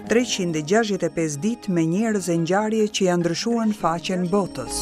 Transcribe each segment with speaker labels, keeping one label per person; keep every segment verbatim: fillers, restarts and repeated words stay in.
Speaker 1: Treqind e gjashtëdhjetë e pesë ditë me njerëz e ngjarje që janë ndryshuar në faqen botës.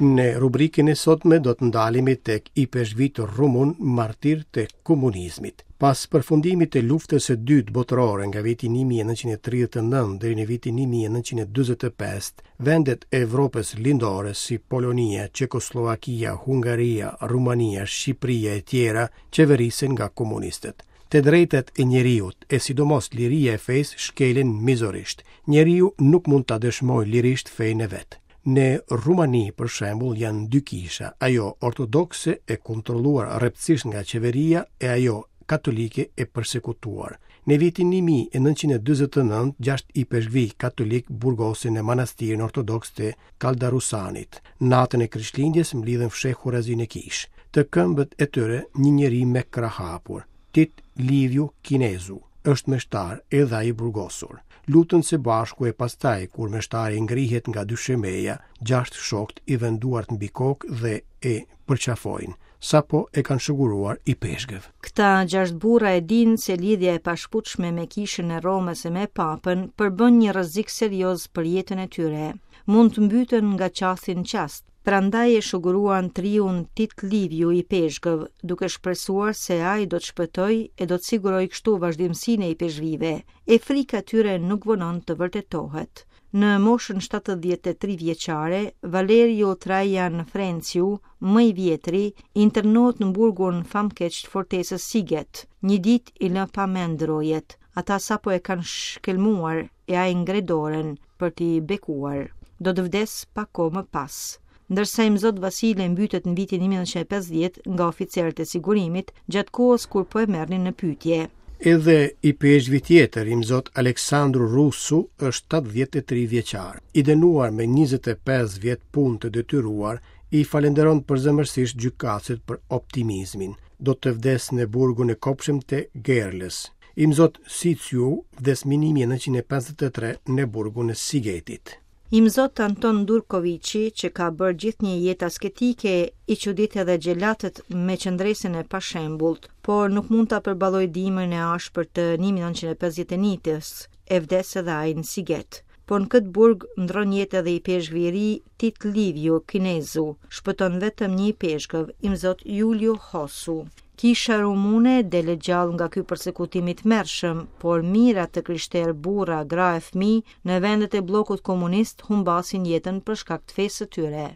Speaker 2: Në rubrikën e sotme do të ndalemi tek ipeshkvit rumun martir të komunizmit. Pas përfundimit të luftës së dytë botërore nga viti një mijë e nëntëqind e tridhjetë e nëntë deri në vitin një mijë e nëntëqind e dyzet e pesë, vendet e Evropës Lindore si Polonia, Çekosllovakia, Hungaria, Rumania, Shqipëria e tjera qeverisen nga komunistët. Të drejtat e njeriut, e sidomos liria e fesë, shkelen mizorisht. Njeriu nuk mund ta dëshmojë lirisht fenë e vet. Në Rumani, për shembull, janë dy kisha, ajo ortodokse e kontrolluar rreptësisht nga qeveria e ajo katolike e persekutuar. Në vitin një mijë e nëntëqind e dyzet e nëntë, gjashtë ipeshkvi katolik burgosin në manastirin ortodoks të Kaldarusanit. Natën e Krishtlindjes mblidhen fshehurazi në kishë. Të këmbët e tyre një njeri me krah hapur. Tit Liviu Kinezu është meshtar edhe ai i burgosur. Lutën së bashku e pastaj, kur meshtari ngrihet nga dyshemeja, gjashtë shokt i vënë duart mbi kokë dhe e përqafojnë, sapo e kanë shuguruar i peshgëv.
Speaker 3: Këta gjashtë burra e dinë se lidhja e pashputshme me kishën e Romës e me papën përbën një rrezik serioz për jetën e tyre. Mund të mbyten nga qasti në qast. Prandaj e shuguruan triun Tit Liviu i Peshgëv, duke shpresuar se ai do të shpëtojë e do të sigurojë kështu vazhdimsinë e ipeshkvive. E frika e tyre nuk vonon të vërtetohet. Në moshën shtatëdhjetë e tri vjeçare, Valerio Trajan Frenciu, më i vjetri, internohet në burgun famkeq të fortesës Siget. Një ditë i lë pa mend rojet. Ata sapo e kanë shkelmuar e ai ngre dorën për t'i bekuar. Do të vdes pak kohë më pas. Ndërsa Imzot Vasile mbytet në vitin një mijë e nëntëqind e pesëdhjetë nga oficerët e sigurimit, gjatë kohës kur po e merrnin në pyetje.
Speaker 2: Edhe i peshkvi tjetër, Imzot Aleksandru Rusu, është shtatëdhjetë e tri vjeçar. I dënuar me njëzet e pesë vjet punë të detyruar, i falenderon përzemërsisht gjykatësit për optimizmin. Do të vdes në burgun e kopshëm të Gerlës. Imzot Siciu vdes më një mijë e nëntëqind e pesëdhjetë e tre në burgun e Sigetit.
Speaker 3: Imzot Anton Durkovici, që ka bërë gjithë një jetë asketike, i çudit edhe xhelatët me qëndresën e pashembullt, por nuk mund ta përballojë dimrin e ashpër të një mijë e nëntëqind e pesëdhjetë e njëjtës, e vdes edhe ai në Siget. Por në këtë burg ndron jetë edhe i peshkvi i ri Tit Liviu Kinezu, shpëton vetëm një peshkëv, Imzot Julio Hosu. Kisha rumune del e gjallë nga ky persekutim i tmerrshëm, por mijëra të krishterë, burra, gra e fëmijë në vendet e bllokut komunist humbasin jetën për shkak të fesë së tyre.